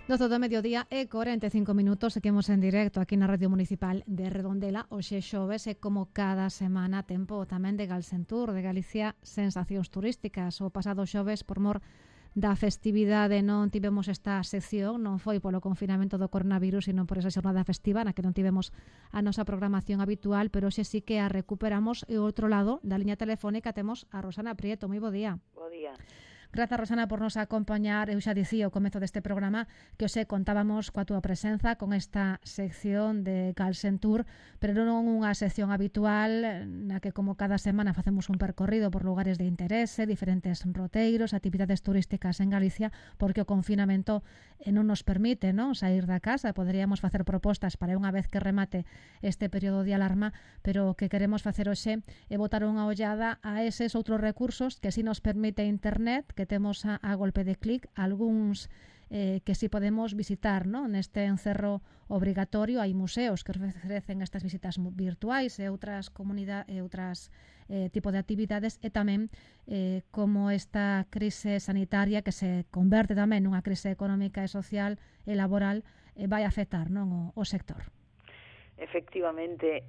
12 do mediodía e 45 minutos, seguimos en directo aquí na Radio Municipal de Redondela. Hoxe xoves e como cada semana tempo tamén de Galsentur, de Galicia, sensacións turísticas. O pasado xoves, por mor da festividade, non tivemos esta sección, non foi polo confinamento do coronavirus, sino por esa xornada festiva na que non tivemos a nosa programación habitual, pero hoxe sí que a recuperamos. E ao outro lado da liña telefónica temos a Rosana Prieto. Moi bo día. Bo día. Grazas, Rosana, por nos acompañar. Eu xa dicía ao comezo deste programa que hoxe contábamos coa túa presenza con esta sección de Galsentur, pero non unha sección habitual na que, como cada semana, facemos un percorrido por lugares de interese, diferentes roteiros, actividades turísticas en Galicia, porque o confinamento non nos permite, non, sair da casa. Poderíamos facer propostas para unha vez que remate este período de alarma, pero o que queremos facer hoxe é botar unha ollada a eses outros recursos que si nos permite internet, que temos a golpe de clic, algúns que si podemos visitar, non? Neste encerro obrigatorio hai museos que ofrecen estas visitas virtuais e outras tipo de actividades, e tamén como esta crise sanitaria que se converte tamén nunha crise económica e social e laboral vai afectar, non, o sector. Efectivamente,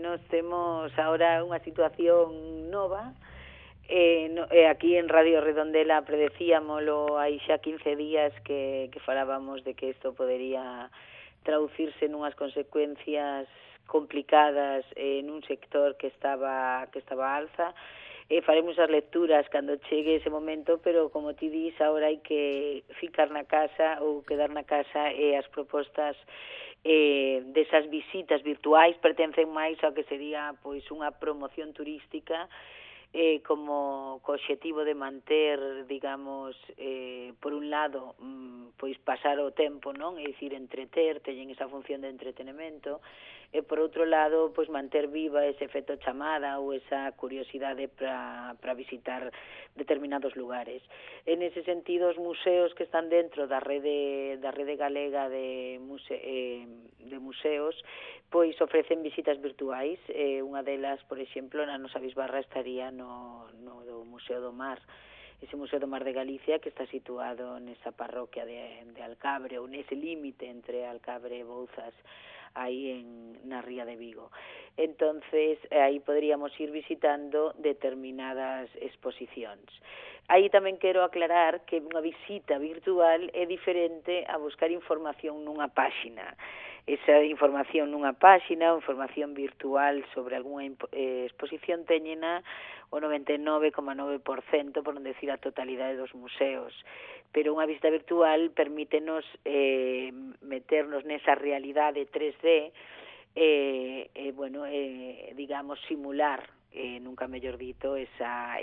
nos temos agora unha situación nova. Aquí en Radio Redondela predecíamolo hai xa 15 días que falábamos de que isto podería traducirse nunhas consecuencias complicadas nun sector que estaba alza. Faremos as lecturas cando chegue ese momento, pero como ti dis, agora hai que ficar na casa ou quedar na casa, e as propostas desas visitas virtuais pertencen máis ao que sería pois unha promoción turística, como co obxectivo de manter, digamos, por un lado, pois pasar o tempo, non? É dicir, entreter, teñen esa función de entretenimento, e por outro lado, pois manter viva ese efecto chamada ou esa curiosidade para visitar determinados lugares. En ese sentido, os museos que están dentro da rede galega de museos, pois ofrecen visitas virtuais. Unha delas, por exemplo, na nosa bisbarra estaría no do Museo do Mar, ese Museo do Mar de Galicia, que está situado nesa parroquia de Alcabre, ou nese límite entre Alcabre e Bouzas, aí na ría de Vigo. Entonces, aí poderíamos ir visitando determinadas exposicións. Aí tamén quero aclarar que unha visita virtual é diferente a buscar información nunha páxina. Esa información nunha páxina, ou información virtual sobre algunha exposición, teñena o 99,9%, por non decir a totalidade dos museos. Pero unha visita virtual permítenos meternos nesa realidade 3D, digamos, simular, nunca mellor dito, esa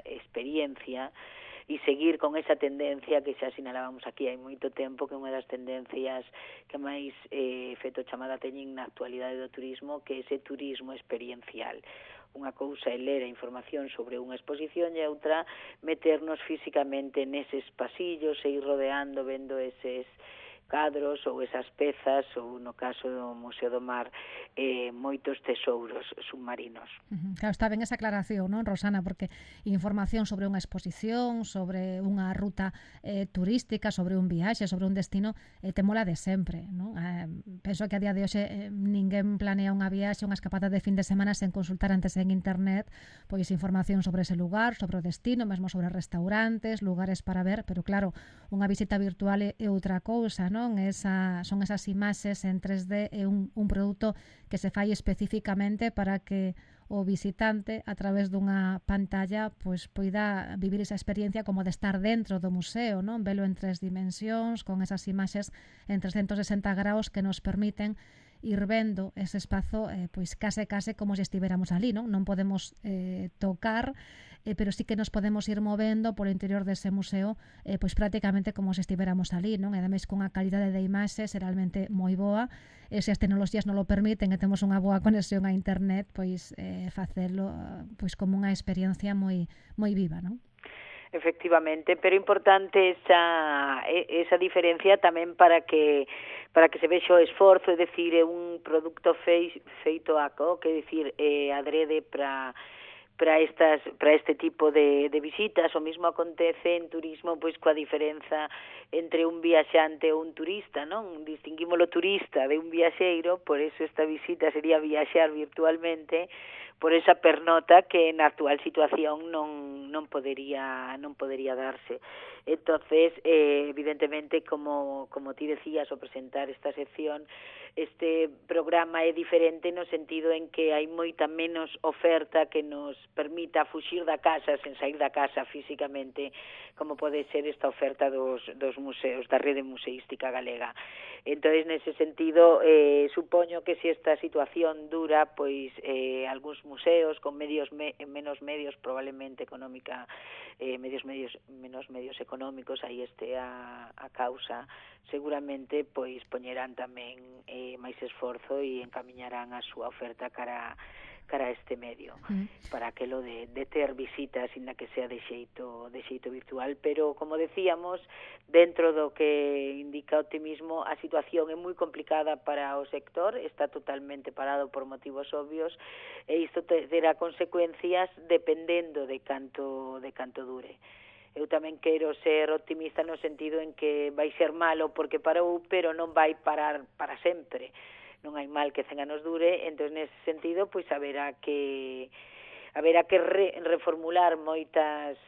experiencia, e seguir con esa tendencia que xa sinalábamos aquí hai moito tempo, que é unha das tendencias que máis efecto chamada teñen na actualidade do turismo, que é ese turismo experiencial. Unha cousa é ler a información sobre unha exposición, e outra meternos físicamente neses pasillos e ir rodeando, vendo eses cadros ou esas pezas, ou no caso do Museo do Mar, moitos tesouros submarinos. Claro, está ben esa aclaración, non, Rosana? Porque información sobre unha exposición, sobre unha ruta turística, sobre un viaxe, sobre un destino, te mola de sempre, non? Penso que a día de hoxe ninguén planea unha viaxe, unha escapada de fin de semana sen consultar antes en internet pois información sobre ese lugar, sobre o destino, mesmo sobre restaurantes, lugares para ver, pero claro, unha visita virtual é outra cousa, non? Son esas imaxes en 3D, é un produto que se fai especificamente para que o visitante, a través dunha pantalla, pois poida vivir esa experiencia como de estar dentro do museo, non? Velo en 3 dimensións, con esas imaxes en 360 graus que nos permiten ir vendo ese espazo pois case como se estiveramos ali, non? Non podemos tocar, pero sí que nos podemos ir movendo polo interior dese museo, pois prácticamente como se estiveramos ali, non? E ademais cunha calidade de imaxes realmente moi boa, e se as tecnoloxías non lo permiten e temos unha boa conexión a internet, pois facelo pois como unha experiencia moi viva, non? Efectivamente, pero importante esa diferencia tamén para que se vexa o esforzo, é dicir, é un produto feito a co, que é dicir, adrede para para este tipo de visitas. O mesmo acontece en turismo, pois coa diferenza entre un viaxante ou un turista, non? Distinguimos o turista de un viaxeiro, por eso esta visita sería viaxar virtualmente, por esa pernota que na actual situación non podería darse. Entonces, evidentemente, como ti decías ao presentar esta sección, este programa é diferente no sentido en que hai moita menos oferta que nos permita fuxir da casa sen sair da casa físicamente, como pode ser esta oferta dos museos, da rede museística galega. Entonces, nese sentido, supoño que se esta situación dura, pois algúns museos con menos medios probablemente menos medios económicos, aí este a causa, seguramente pois poñerán tamén máis esforzo e encamiñarán a súa oferta cara a este medio, para aquelo de ter visitas, inda que sea de xeito virtual. Pero, como decíamos, dentro do que indica o optimismo, a situación é moi complicada para o sector, está totalmente parado por motivos obvios, e isto terá consecuencias dependendo de canto dure. Eu tamén quero ser optimista no sentido en que vai ser malo porque parou, pero non vai parar para sempre. Non hai mal que 100 anos dure, entón nese sentido pois haberá que reformular moitas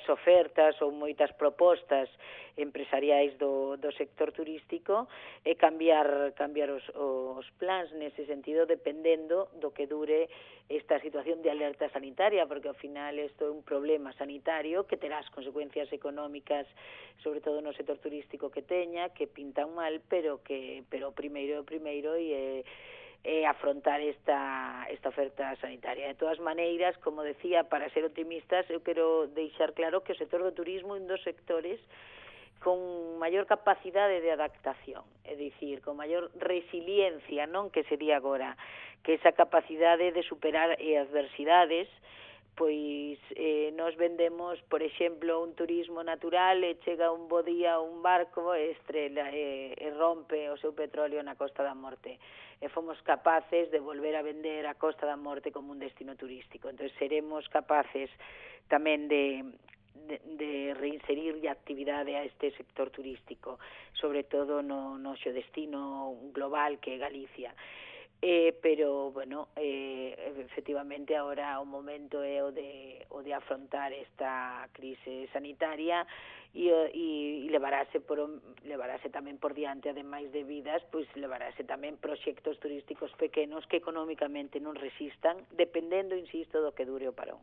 ofertas ou moitas propostas empresariais do sector turístico e cambiar os plans nese sentido, dependendo do que dure esta situación de alerta sanitaria, porque ao final isto é un problema sanitario que terá as consecuencias económicas, sobre todo no sector turístico que teña, que pintan mal, pero o primeiro é afrontar esta oferta sanitaria. De todas maneiras, como decía, para ser optimistas, eu quero deixar claro que o sector do turismo é un dos sectores con maior capacidade de adaptación, é dicir, con maior resiliencia, non que sería agora, que esa capacidade de superar adversidades, pois nos vendemos, por exemplo, un turismo natural e chega un bo día un barco e estrela e rompe o seu petróleo na Costa da Morte. E fomos capaces de volver a vender a Costa da Morte como un destino turístico. Entón, seremos capaces tamén de reinserir a actividade a este sector turístico, sobre todo no xo destino global que é Galicia. Pero, bueno, efectivamente, agora o momento é o de afrontar esta crise sanitaria e levarase tamén por diante, ademais de vidas, pois levarase tamén proxectos turísticos pequenos que económicamente non resistan, dependendo, insisto, do que dure o parón.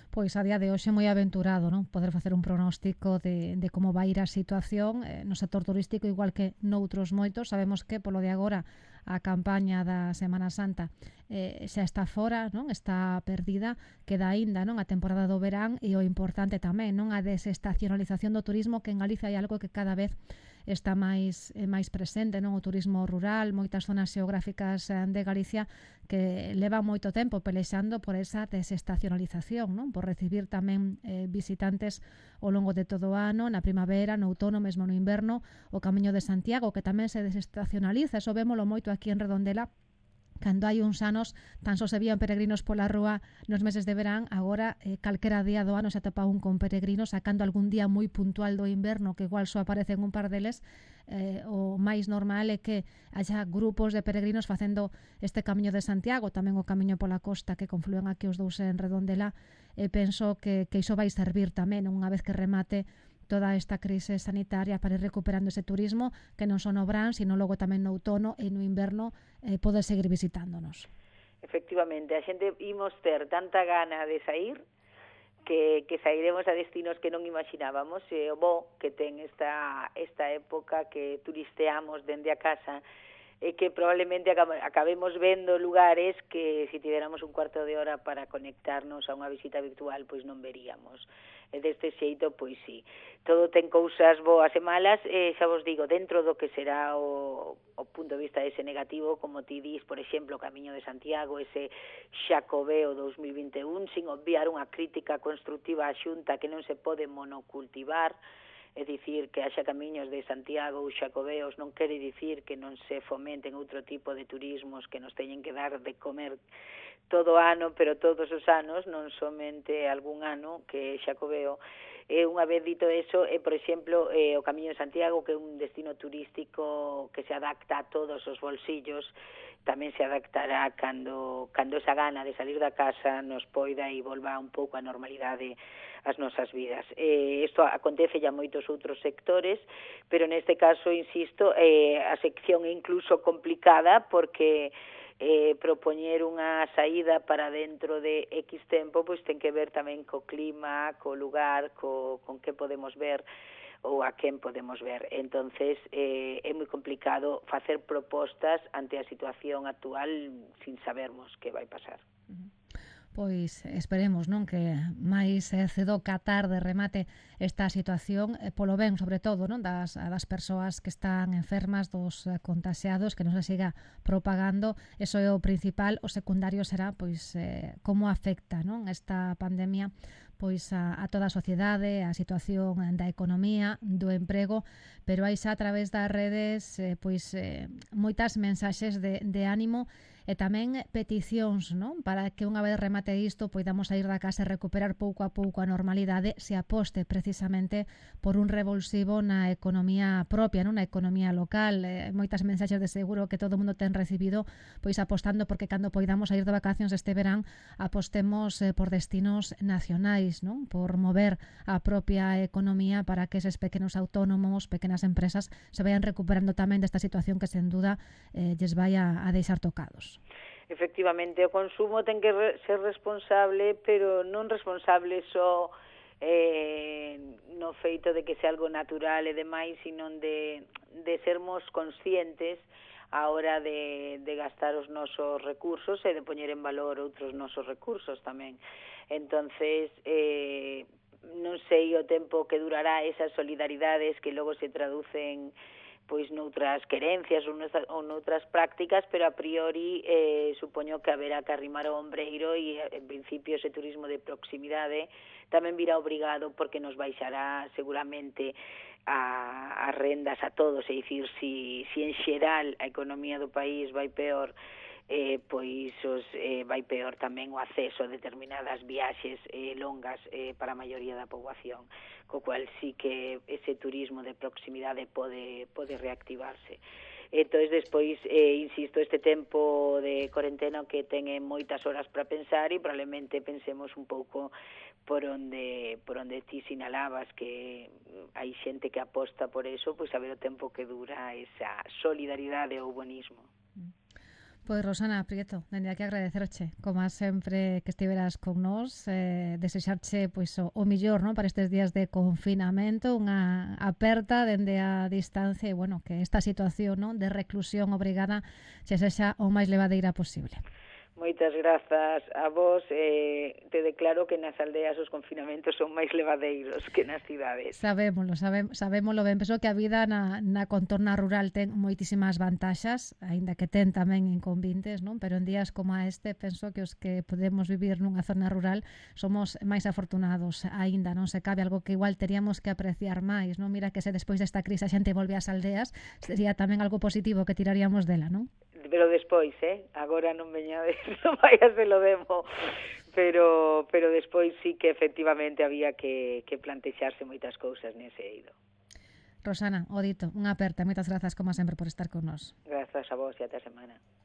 Pois a día de hoxe é moi aventurado, non? Poder facer un pronóstico de como vai ir a situación no sector turístico, igual que noutros moitos. Sabemos que, polo de agora, a campaña da Semana Santa xa está fora, non? Está perdida, queda aínda, non? A temporada do verán e o importante tamén, non? A desestacionalización do turismo, que en Galicia hai algo que cada vez está máis presente, non? O turismo rural, moitas zonas xeográficas de Galicia que levan moito tempo pelexando por esa desestacionalización, non? Por recibir tamén visitantes ao longo de todo o ano, na primavera, no outono, mesmo no inverno, o Camiño de Santiago, que tamén se desestacionaliza, eso vémolo moito aquí en Redondela. Cando hai uns anos tan só se vían peregrinos pola rúa nos meses de verán, agora calquera día do ano se atopa un con peregrinos, sacando algún día moi puntual do inverno que igual só aparecen un par deles. O máis normal é que haya grupos de peregrinos facendo este Camiño de Santiago, tamén o Camiño pola costa que conflúen aquí os dous en Redondela, e penso que iso vai servir tamén unha vez que remate toda esta crise sanitaria para ir recuperando ese turismo que non só no verán, sino logo tamén no outono e no inverno poder seguir visitándonos. Efectivamente, a xente imos ter tanta gana de sair que sairemos a destinos que non imaginábamos, e o bo que ten esta época que turisteamos dende a casa e que probablemente acabemos vendo lugares que se tiveramos un cuarto de hora para conectarnos a unha visita virtual, pois non veríamos. E deste xeito, pois sí, todo ten cousas boas e malas, e xa vos digo, dentro do que será o punto de vista ese negativo, como ti dis, por exemplo, o Camiño de Santiago, ese Xacobeo 2021, sin obviar unha crítica constructiva á Xunta que non se pode monocultivar, É dicir, que haxa camiños de Santiago ou Xacobeos non quere dicir que non se fomenten outro tipo de turismos que nos teñen que dar de comer todo o ano, pero todos os anos, non somente algún ano, que Xacobeo. Unha vez dito eso, por exemplo, o Camiño de Santiago, que é un destino turístico que se adapta a todos os bolsillos, tamén se adaptará cando esa gana de salir da casa nos poida e volva un pouco a normalidade as nosas vidas. Isto acontece ya moitos outros sectores, pero neste caso, insisto, a sección é incluso complicada porque propoñer unha saída para dentro de X tempo, pois ten que ver tamén co clima, co lugar, con que podemos ver ou a quen podemos ver. Entonces, é moi complicado facer propostas ante a situación actual sin sabermos que vai pasar. Pois esperemos, non, que máis cedo ca tarde remate esta situación, polo ben, sobre todo, non, das persoas que están enfermas, dos contaxiados, que non se siga propagando. Eso é o principal. O secundario será, pois, como afecta, non, esta pandemia pois a toda a sociedade, a situación da economía, do emprego, pero hai xa a través das redes moitas mensaxes de ánimo e tamén peticións, non? Para que unha vez remate isto poidamos sair da casa e recuperar pouco a pouco a normalidade, se aposte precisamente por un revulsivo na economía propia, non? Na economía local. Moitas mensaxes de seguro que todo o mundo ten recibido, pois apostando porque cando poidamos sair de vacacións este verán apostemos por destinos nacionais, non? Por mover a propia economía para que eses pequenos autónomos, pequenas empresas se vayan recuperando tamén desta situación que sen duda lles vai a deixar tocados. Efectivamente, o consumo ten que ser responsable, pero non responsable só no feito de que sea algo natural e demais, sino de sermos conscientes a hora de gastar os nosos recursos e de poñer en valor outros nosos recursos tamén. Entonces, non sei o tempo que durará esas solidaridades que logo se traducen pois noutras querencias ou noutras prácticas, pero a priori supoño que haberá que arrimar o ombreiro e en principio ese turismo de proximidade tamén virá obrigado porque nos baixará seguramente as rendas a todos, é dicir, si en xeral a economía do país vai peor, pois vai peor tamén o acceso a determinadas viaxes longas para a maioría da poboación, co cual sí que ese turismo de proximidade pode reactivarse. Entón, despois, insisto, este tempo de corentena que ten moitas horas para pensar e probablemente pensemos un pouco por onde ti sinalabas que hai xente que aposta por eso, pois a ver o tempo que dura esa solidaridade ou bonismo. Pois Rosana Prieto, dende aquí agradecerche, como sempre que estiveras con nós, desexarche pois o millor, non, para estes días de confinamento, unha aperta dende a distancia e, bueno, que esta situación, non, de reclusión obrigada se sexa o máis levadeira posible. Moitas grazas a vos. Te declaro que nas aldeas os confinamentos son máis levadeiros que nas cidades. Sabémolo ben. Penso que a vida na contorna rural ten moitísimas vantaxas, aínda que ten tamén inconvenientes, non? Pero en días como este, penso que os que podemos vivir nunha zona rural somos máis afortunados aínda, non se cabe, algo que igual teríamos que apreciar máis, non? Mira que se despois desta crise a xente volve ás aldeas, sería tamén algo positivo que tiraríamos dela, non? Pero despois, agora non veñades, non vai a se lo demo, pero despois sí que efectivamente había que plantexarse moitas cousas nese eido. Rosana, o dito, unha aperta, moitas grazas como sempre por estar con nós. Grazas a vos e ata a semana.